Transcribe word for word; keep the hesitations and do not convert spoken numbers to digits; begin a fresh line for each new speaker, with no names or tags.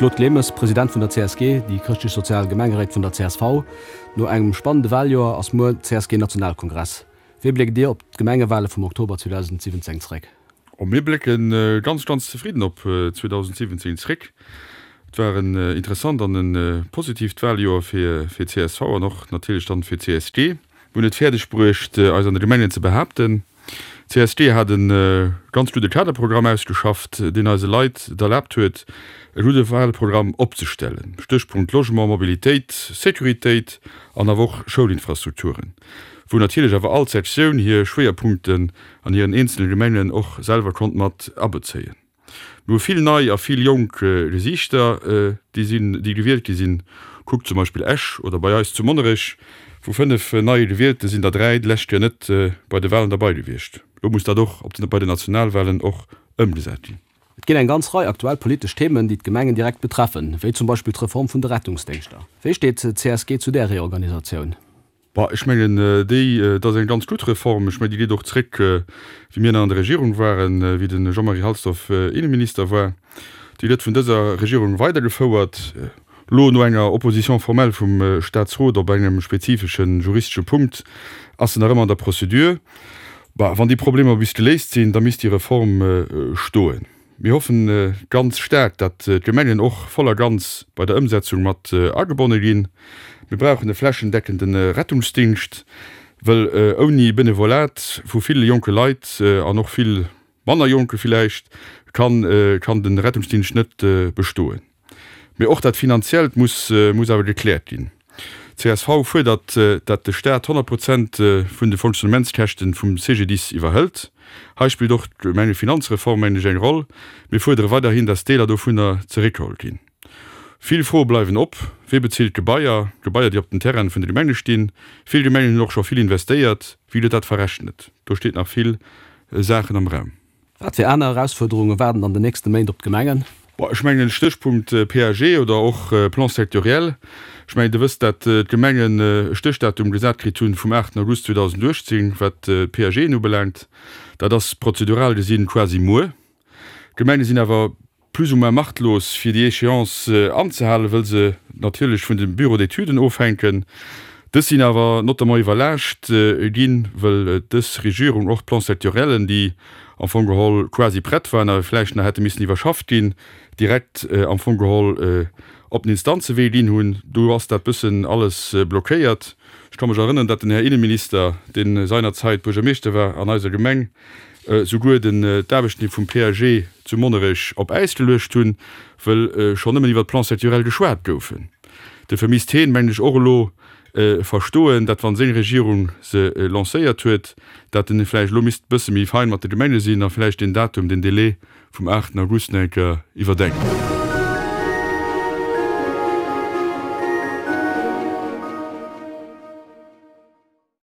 Claude Clemes, President vun der C S G, déi chrëschtlech-sozial Gemengeréit vun der C S V. No engem spannende Waljoer ass muer C S G-Nationalkongress. Wéi bléckt Dir op d'Gemengewale vum Oktober zweedausendsiwwenzéng zeréck?
Oh, mir blécke ganz, ganz zefridden op zweedausendsiwwenzéng zeréck. Et war en interessant an e positiivt Waljoer fir fir C S V an och natierlech dann fir C S G. Mir hunn et fäerdeg bruecht, eis an de Gemengen ze behaapten. C S G hat e ganz gudde Kaderprogramm ausgeschafft, deen eise Leit et erlaabt huet, e gudde Walprogramm opzestellen. Stéchpunkt Logement, Mobilitéit, Sécuritéit an awer och Schoulinfrastrukturen, wou natierlech awer all Sektioun hir Schwéierpunkten an hiren eenzele Gemengen och selwer konnt mat abezéien. Mir hu vill nei a vill jonk Gesiichter, déi sinn, déi gewielt gi sinn. Kuckt zum Beispill Esch oder bei eis zu Monnerech, vu fënnef neie Gewielte sinn der dräi d'lescht Joer net bei de Wahlen derbei gewiescht. Lo muss dat och op den, bei den Nationalwahlen och ëmgesat ginn.
Et ginn eng ganz Rei aktuell politesch Themen, déi d'Gemengen direkt betreffen, wéi zum Beispill d'Reform vun de Rettungsdéngschter. Wéi steet d'C S G zu där Reorganisatioun?
Bah, ech mengen, déi, dat ass eng ganz gutt Reform. Ech mengen, déi geet och zréck, wéi mir nach an der Regierung waren, wéi de Jean-Marie Halsdorf Innenminister war. Déi gëtt vun dëser Regierung weidergefouert. Elo no enger Opposition formelle vum Statsrot op engem spezifesche juristesche Punkt ass se nach ëmmer an der Procédure. Bah, wann déi Problemer bis geléist sinn, da misst déi Reform stoen. Mir hoffen ganz staark, datt d'Gemengen och voll a ganz bei der Ëmsetzung mat agebonne ginn. Mir brauchen e flächendeckende Rettungsdingscht, wëll ouni Benevolat vu ville jonke Leit an och vill manner jonke villäicht, kann kann de Rettungsdingscht net bestoen. Mee och dat Finanziellt muss muss awer gekläert ginn. C S V fuerdert, dat de Staat honnert Prozent vun de Fonctionnementskäschten vum C G D I S iwwerhëlt. Hei spillt och d'Gemengefinanzreform, mengen ech, eng Roll. Mir fuerdere weiderhin, dat Deeler dovunner zeréckgeholl ginn. Vill Froe bleiwen op, Wie bezilt d'Gebaier, Gebaier, déi op den Terraine vun de Gemenge stinn? Vill Gemengen hunn och scho vill investéiert. Wéi gëtt dat verrechnet? Do steet nach vill Saachen am Raum.
Wat fir aner Erausfuerderunge waarden an den nächste Méint op d'Gemengen?
Bon, ech mengen, Stéchpunkt P A G oder och Plan sectoriel. Ech mengen, Dir wësst, dat d'Gemengen e Stéchdatum gesat kritt hunn vum aachten August zweedausendachtzéng, wat d'P A Gen ubelaangt. Dat ass prozedural gesinn quasi muer. D'Gemenge sinn awer plus ou moins machtlos, fir déi Échéance anzehalen, wëll se natierlech vun de Bureaux d'étuden ofhänken. Dës sinn awer notamment iwwerlaascht ginn, wëll dës Regierung och d'Plans sectoriellen, déi am Fong geholl quasi prett waren, awer vläicht nach hätte missen iwwerschafft ginn, direkt am Fong geholl op den Instanzewee ginn hunn. Do ass dat bëssen alles blockéiert. Ech ka mech erënneren, datt den Här Inneminister, dee seinerzäit Buergermeeschter war an eiser Gemeng, souguer den d'Aarbechten vum P A G zu Monnerech op Äis geluecht hunn, wëll schonn nëmmen iwwert d'Plans sectoriels geschwat goufen. Dofir misst heen, mengen ech, och elo verstoen, datt wann seng Regierung se lancéiert huet, datt en vläicht elo misst bësse méi fein mat de Gemenge sinn a vläicht deen Datum, deen Délai vum aachten August nach eng Kéier iwwerdenken.